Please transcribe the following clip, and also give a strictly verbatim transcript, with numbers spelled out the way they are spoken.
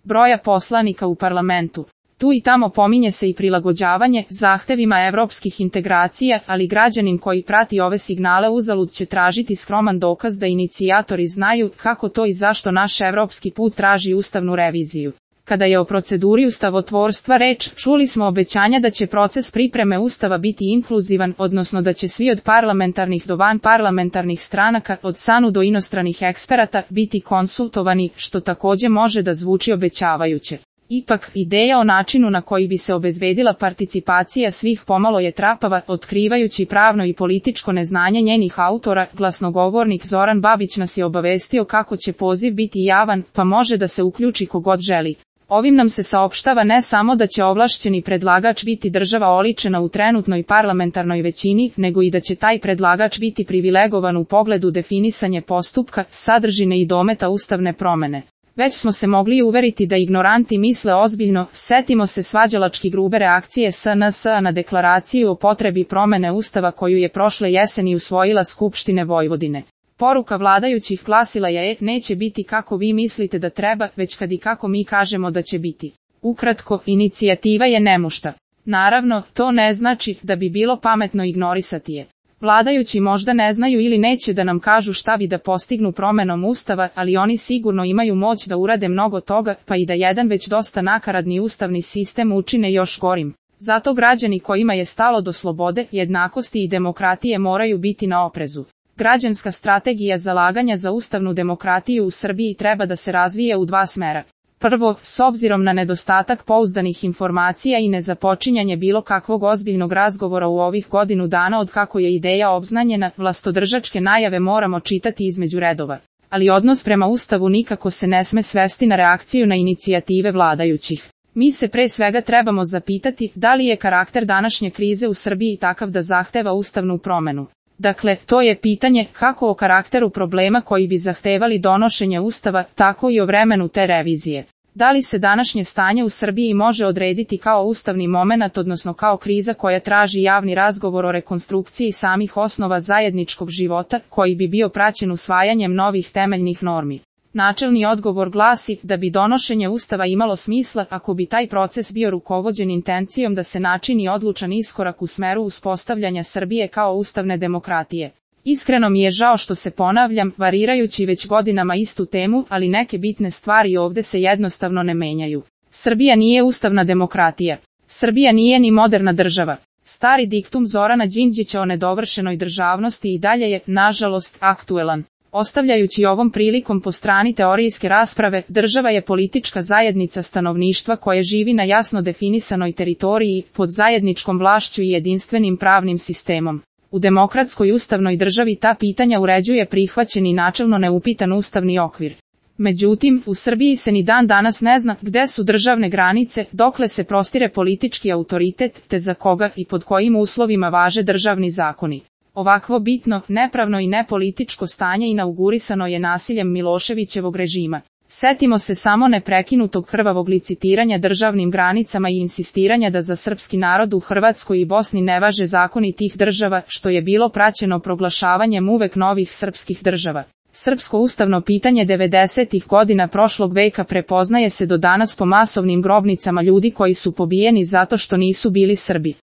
broja poslanika u parlamentu. Tu i tamo pominje se i prilagođavanje zahtevima evropskih integracija, ali građanin koji prati ove signale uzalud će tražiti skroman dokaz da inicijatori znaju kako to i zašto naš evropski put traži ustavnu reviziju. Kada je o proceduri ustavotvorstva reč, čuli smo obećanja da će proces pripreme ustava biti inkluzivan, odnosno da će svi od parlamentarnih do vanparlamentarnih stranaka, od SANU do inostranih eksperata, biti konsultovani, što takođe može da zvuči obećavajuće. Ipak, ideja o načinu na koji bi se obezbedila participacija svih pomalo je trapava, otkrivajući pravno i političko neznanje njenih autora. Glasnogovornik Zoran Babić nas je obavestio kako će poziv biti javan, pa može da se uključi kogod želi. Ovim nam se saopštava ne samo da će ovlašćeni predlagač biti država oličena u trenutnoj parlamentarnoj većini, nego i da će taj predlagač biti privilegovan u pogledu definisanje postupka, sadržine i dometa ustavne promene. Već smo se mogli uveriti da ignoranti misle ozbiljno, setimo se svađalački grube reakcije S N S-a na deklaraciju o potrebi promene ustava koju je prošle jeseni usvojila Skupštine Vojvodine. Poruka vladajućih glasila je: neće biti kako vi mislite da treba, već kad i kako mi kažemo da će biti. Ukratko, inicijativa je nemušta. Naravno, to ne znači da bi bilo pametno ignorisati je. Vladajući možda ne znaju ili neće da nam kažu šta bi da postignu promenom ustava, ali oni sigurno imaju moć da urade mnogo toga, pa i da jedan već dosta nakaradni ustavni sistem učine još gorim. Zato građani kojima je stalo do slobode, jednakosti i demokratije moraju biti na oprezu. Građanska strategija zalaganja za ustavnu demokratiju u Srbiji treba da se razvije u dva smera. Prvo, s obzirom na nedostatak pouzdanih informacija i nezapočinjanje bilo kakvog ozbiljnog razgovora u ovih godinu dana od kako je ideja obznanjena, vlastodržačke najave moramo čitati između redova. Ali odnos prema Ustavu nikako se ne sme svesti na reakciju na inicijative vladajućih. Mi se pre svega trebamo zapitati da li je karakter današnje krize u Srbiji takav da zahteva ustavnu promenu. Dakle, to je pitanje kako o karakteru problema koji bi zahtevali donošenje ustava, tako i o vremenu te revizije. Da li se današnje stanje u Srbiji može odrediti kao ustavni momenat, odnosno kao kriza koja traži javni razgovor o rekonstrukciji samih osnova zajedničkog života, koji bi bio praćen usvajanjem novih temeljnih normi? Načelni odgovor glasi da bi donošenje ustava imalo smisla ako bi taj proces bio rukovođen intencijom da se načini odlučan iskorak u smeru uspostavljanja Srbije kao ustavne demokratije. Iskreno mi je žao što se ponavljam, varirajući već godinama istu temu, ali neke bitne stvari ovde se jednostavno ne menjaju. Srbija nije ustavna demokratija. Srbija nije ni moderna država. Stari diktum Zorana Đinđića o nedovršenoj državnosti i dalje je, nažalost, aktuelan. Ostavljajući ovom prilikom po strani teorijske rasprave, država je politička zajednica stanovništva koje živi na jasno definisanoj teritoriji, pod zajedničkom vlašću i jedinstvenim pravnim sistemom. U demokratskoj ustavnoj državi ta pitanja uređuje prihvaćen i načelno neupitan ustavni okvir. Međutim, u Srbiji se ni dan danas ne zna gde su državne granice, dokle se prostire politički autoritet, te za koga i pod kojim uslovima važe državni zakoni. Ovakvo bitno, nepravno i nepolitičko stanje inaugurisano je nasiljem Miloševićevog režima. Setimo se samo neprekinutog krvavog licitiranja državnim granicama i insistiranja da za srpski narod u Hrvatskoj i Bosni ne važe zakoni tih država, što je bilo praćeno proglašavanjem uvek novih srpskih država. Srpsko ustavno pitanje devedesetih godina prošlog veka prepoznaje se do danas po masovnim grobnicama ljudi koji su pobijeni zato što nisu bili Srbi.